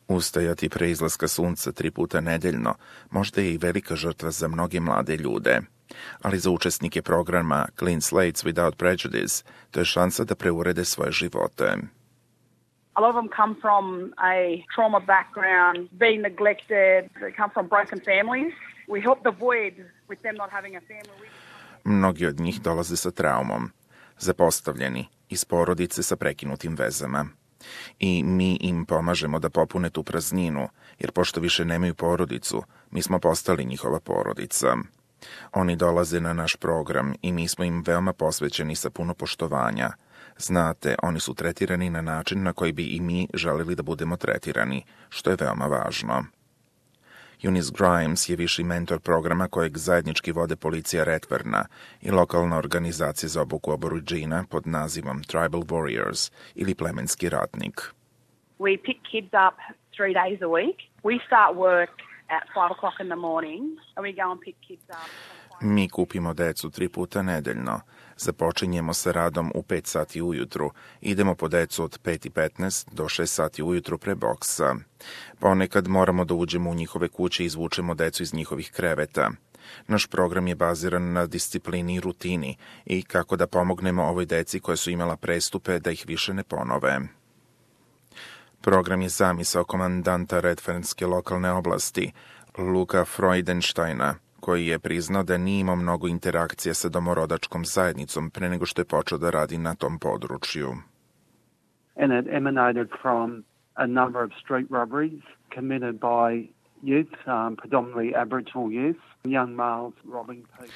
Ustajati pre izlaska sunca 3 puta nedeljno možda je i velika žrtva za mnoge mlade ljude, ali za učesnike programa Clean Slates Without Prejudice to je šansa da preurede svoje živote. A lot of them come from a trauma background, being neglected, they come from broken families. We help the void with them not having a family. Mnogi od njih dolaze sa traumom, zapostavljeni, iz porodice sa prekinutim vezama. I mi im pomažemo da popune tu prazninu, jer pošto više nemaju porodicu, mi smo postali njihova porodica. Oni dolaze na naš program i mi smo im veoma posvećeni sa puno poštovanja. Znate, oni su tretirani na način na koji bi i mi želeli da budemo tretirani, što je veoma važno. Eunice Grimes je viši mentor programa kojeg zajednički vode policija Redferna i lokalna organizacija za obuku Aboridžina pod nazivom Tribal Warriors ili plemenski ratnik. We pick kids up 3 days a week. We start work at 5 o'clock in the morning and we go and pick kids up. Mi kupimo decu 3 puta nedeljno. Započinjemo sa radom u 5 sati ujutru. Idemo po decu od 5:15 do 6 sati ujutru pre boksa. Ponekad moramo da uđemo u njihove kuće i izvučemo decu iz njihovih kreveta. Naš program je baziran na disciplini i rutini i kako da pomognemo ovoj deci koja su imala prestupe da ih više ne ponove. Program je zamisao komandanta Redfernske lokalne oblasti, Luka Freudensteina, koji je priznao da nije imao mnogo interakcija sa domorodačkom zajednicom pre nego što je počeo da radi na tom području. And it emanated from a number of street robberies committed by youth, predominantly Aboriginal youth, young males robbing people.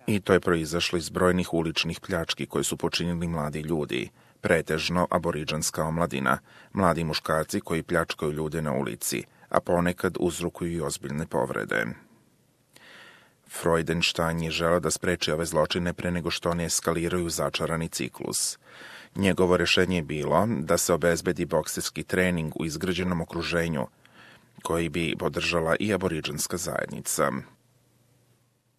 I to je proizašlo iz brojnih uličnih pljački koje su počinili mladi ljudi, pretežno aboriđanska omladina, mladi muškarci koji pljačkaju ljude na ulici, a ponekad uzrokuju i ozbiljne povrede. Freudenstein je želeo da spreči ove zločine pre nego što oni eskaliraju začarani ciklus. Njegovo rešenje je bilo da se obezbedi bokserski trening u izgrađenom okruženju, koji bi podržala i aboriđanska zajednica.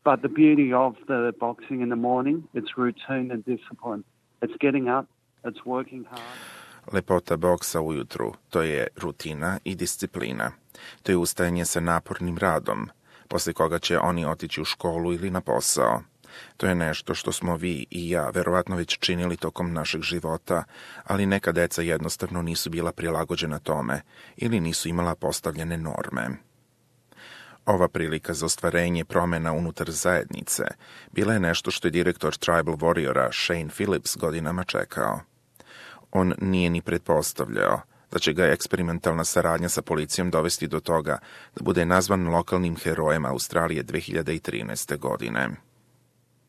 But the beauty of the boxing in the morning, it's routine and discipline. It's getting up, it's working hard. Lepota boksa ujutru, to je rutina i disciplina. To je ustajanje sa napornim radom, posle koga će oni otići u školu ili na posao. To je nešto što smo vi i ja verovatno već činili tokom našeg života, ali neka deca jednostavno nisu bila prilagođena tome ili nisu imala postavljene norme. Ova prilika za ostvarenje promena unutar zajednice bila je nešto što je direktor Tribal Warriora Shane Phillips godinama čekao. On nije ni pretpostavljao da će ga eksperimentalna saradnja sa policijom dovesti do toga da bude nazvan lokalnim herojem Australije 2013. godine.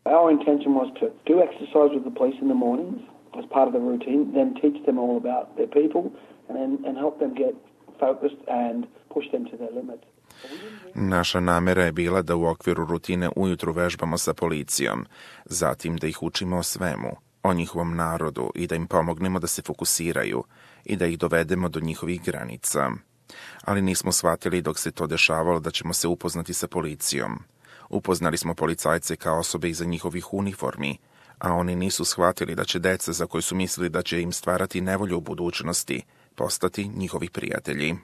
Our intention was to do exercise with the police in the mornings as part of the routine, then teach them all about their people and help them get focused and push them to their limits. Naša namera je bila da u okviru rutine ujutru vežbamo sa policijom, zatim da ih učimo o svemu, o njihovom narodu i da im pomognemo da se fokusiraju i da ih dovedemo do njihovih granica. Ali nismo shvatili dok se to dešavalo da ćemo se upoznati sa policijom. Upoznali smo policajce kao osobe iza njihovih uniformi, a oni nisu shvatili da će deca za koje su mislili da će im stvarati nevolju u budućnosti postati njihovi prijatelji.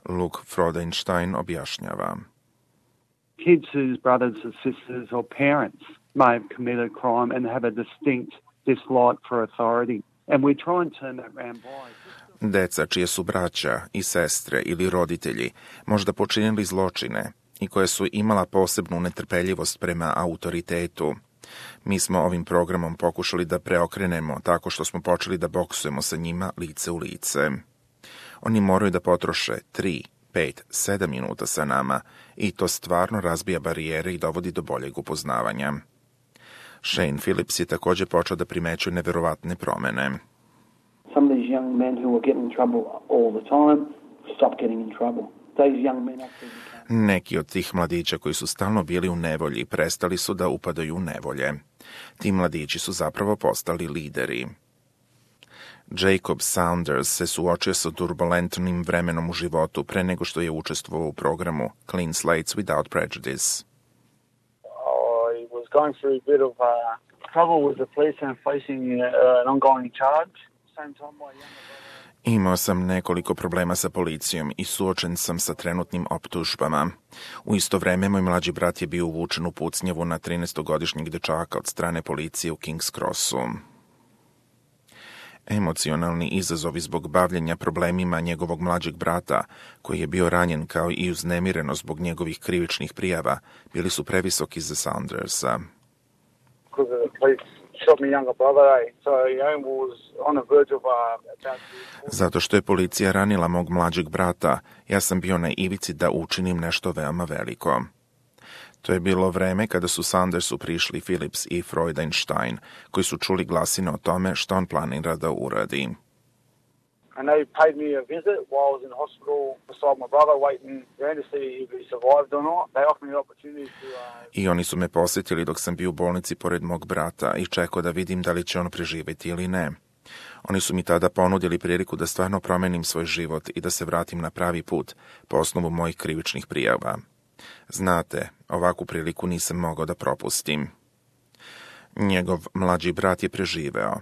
Luke Freudenstein objašnjava. Kids whose brothers or sisters or parents may have committed a crime and have a distinct dislike for authority. And we try and turn that round by. Deca čije su braća i sestre ili roditelji možda počinili zločine i koje su imala posebnu netrpeljivost prema autoritetu. Mi smo ovim programom pokušali da preokrenemo tako što smo počeli da boksujemo sa njima lice u lice. Oni moraju da potroše 3, 5, 7 minuta sa nama i to stvarno razbija barijere i dovodi do boljeg upoznavanja. Shane Phillips je također počeo da primećuje neverovatne promene. Some of these young men who were getting in trouble all the time stopped getting in trouble. These young men actually became... Neki od tih mladića koji su stalno bili u nevolji prestali su da upadaju u nevolje. Ti mladići su zapravo postali lideri. Jacob Saunders se suočio sa turbulentnim vremenom u životu pre nego što je učestvovao u programu Clean Slates Without Prejudice. I was going through a bit of trouble with the police and facing an ongoing charge. Same time my younger brother... Imao sam nekoliko problema sa policijom i suočen sam sa trenutnim optužbama. U isto vreme moj mlađi brat je bio uvučen u pucnjavu na 13-godišnjeg dečaka od strane policije u King's Crossu. Emocionalni izazovi zbog bavljenja problemima njegovog mlađeg brata, koji je bio ranjen kao i uznemireno zbog njegovih krivičnih prijava, bili su previsoki za Saundersa. Zato što je policija ranila mog mlađeg brata, ja sam bio na ivici da učinim nešto veoma veliko. To je bilo vreme kada su Saundersu prišli Phillips i Freudenstein, koji su čuli glasine o tome što on planira da uradi. And they paid me a visit while I was in hospital beside my brother waiting around to see if he survived or not. They offered me the opportunity to... I oni su me posjetili dok sam bio u bolnici pored mog brata i čekao da vidim da li će on preživjeti ili ne. Oni su mi tada ponudili priliku da stvarno promenim svoj život i da se vratim na pravi put po osnovu mojih krivičnih prijava. Znate, ovakvu priliku nisam mogao da propustim. Njegov mlađi brat je preživeo.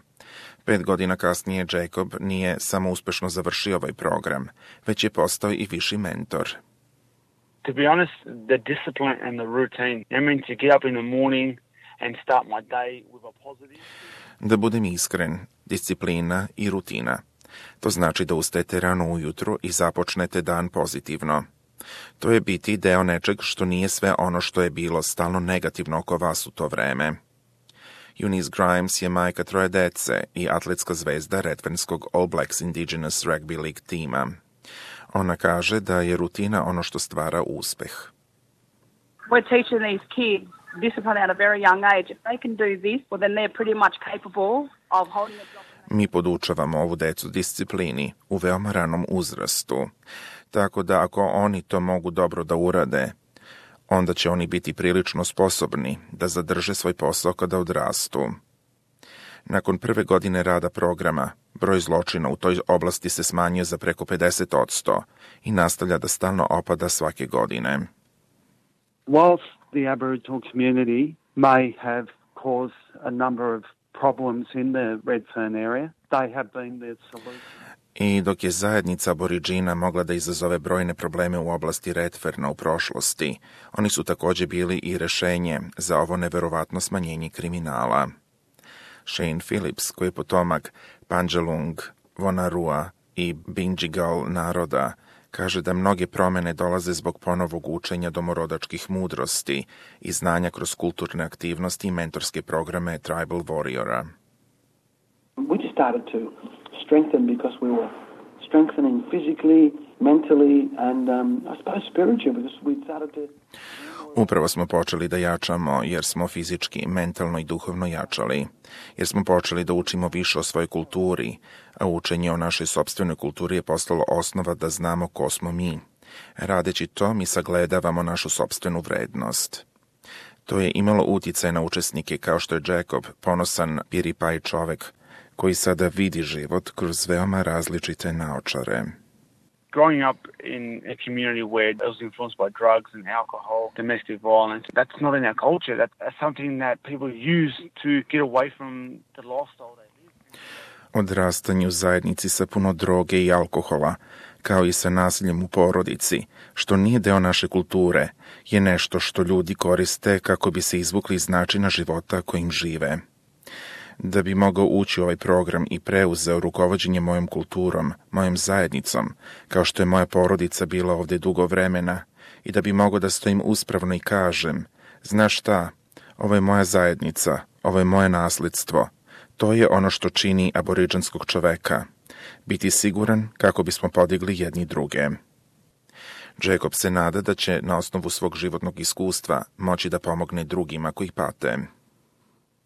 5 godina kasnije Jacob nije samo uspešno završio ovaj program, već je postao i viši mentor. To be honest, the discipline and the routine. I mean to get up in the morning and start my day with a positive. Da budem iskren, disciplina i rutina. To znači da ustajete rano ujutro i započnete dan pozitivno. To je biti deo nečeg što nije sve ono što je bilo stalno negativno oko vas u to vreme. Eunice Grimes je majka 3 dece i atletska zvezda Redfernskog All Blacks Indigenous Rugby League tima. Ona kaže da je rutina ono što stvara uspeh. We're teaching these kids discipline at a very young age. If they can do this, well then they're pretty much capable of holding a job. Mi podučavamo ovu decu disciplini u veoma ranom uzrastu. Tako da ako oni to mogu dobro da urade, onda će oni biti prilično sposobni da zadrže svoj posao kada odrastu. Nakon prve godine rada programa, broj zločina u toj oblasti se smanjio za preko 50% i nastavlja da stalno opada svake godine. Whilst the Aboriginal community may have caused a number of problems in the Redfern area, they have been the solution. I dok je zajednica Aboriđina mogla da izazove brojne probleme u oblasti Redferna u prošlosti, oni su također bili i rešenje za ovo neverovatno smanjenje kriminala. Shane Phillips, koji je potomak Panjalung, Vonarua i Bindjigal naroda, kaže da mnoge promene dolaze zbog ponovog učenja domorodačkih mudrosti i znanja kroz kulturne aktivnosti i mentorske programe Tribal Warriora. We just started to strengthen because we were strengthening physically, mentally and I suppose spiritually because we started to... Upravo smo počeli da jačamo jer smo fizički, mentalno i duhovno jačali, jer smo počeli da učimo više o svojoj kulturi, a učenje o našoj sopstvenoj kulturi je postalo osnova da znamo ko smo mi. Radeći to, mi sagledavamo našu sopstvenu vrednost. To je imalo uticaj na učesnike kao što je Jacob, ponosan piripaj čovek, koji sada vidi život kroz veoma različite naočare. Growing up in a community where it was influenced by drugs and alcohol, domestic violence, that's not in our culture. That's something that people use to get away from the lifestyle they live. Odrastanje u zajednici sa puno droge i alkohola, kao i sa nasiljem u porodici, što nije deo naše kulture, je nešto što ljudi koriste kako bi se izvukli iz načina života kojim žive. Da bi mogao ući u ovaj program i preuzeo rukovođenje mojom kulturom, mojom zajednicom, kao što je moja porodica bila ovdje dugo vremena, i da bi mogao da stojim uspravno i kažem, znaš šta, ovo je moja zajednica, ovo je moje nasljedstvo, to je ono što čini aboriđanskog čoveka, biti siguran kako bismo podigli jedni druge. Jacob se nada da će na osnovu svog životnog iskustva moći da pomogne drugima koji pate.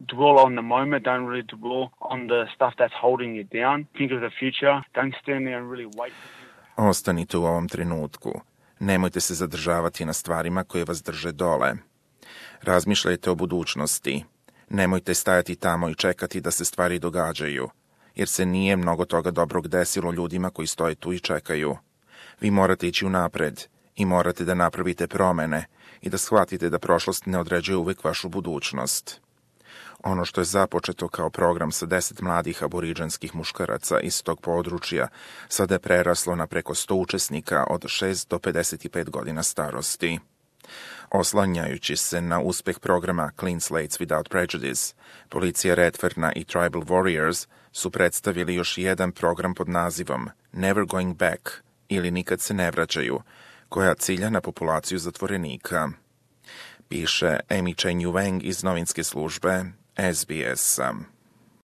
Dwell on the moment, don't really dwell on the stuff that's holding you down. Think of the future. Don't stand there and really wait. Ostanite u ovom trenutku. Nemojte se zadržavati na stvarima koje vas drže dole. Razmišljajte o budućnosti. Nemojte stajati tamo i čekati da se stvari događaju, jer se nije mnogo toga dobrog desilo ljudima koji stoje tu i čekaju. Vi morate ići unapred i morate da napravite promene i da shvatite da prošlost ne određuje uvek vašu budućnost. Ono što je započeto kao program sa 10 mladih aboriđanskih muškaraca iz tog područja sada je preraslo na preko 100 učesnika od 6 do 55 godina starosti. Oslanjajući se na uspeh programa Clean Slates Without Prejudice, policija Redferna i Tribal Warriors su predstavili još jedan program pod nazivom Never Going Back ili Nikad se ne vraćaju, koja cilja na populaciju zatvorenika. Piše Amy Chen Yu Wang iz novinske službe SBS.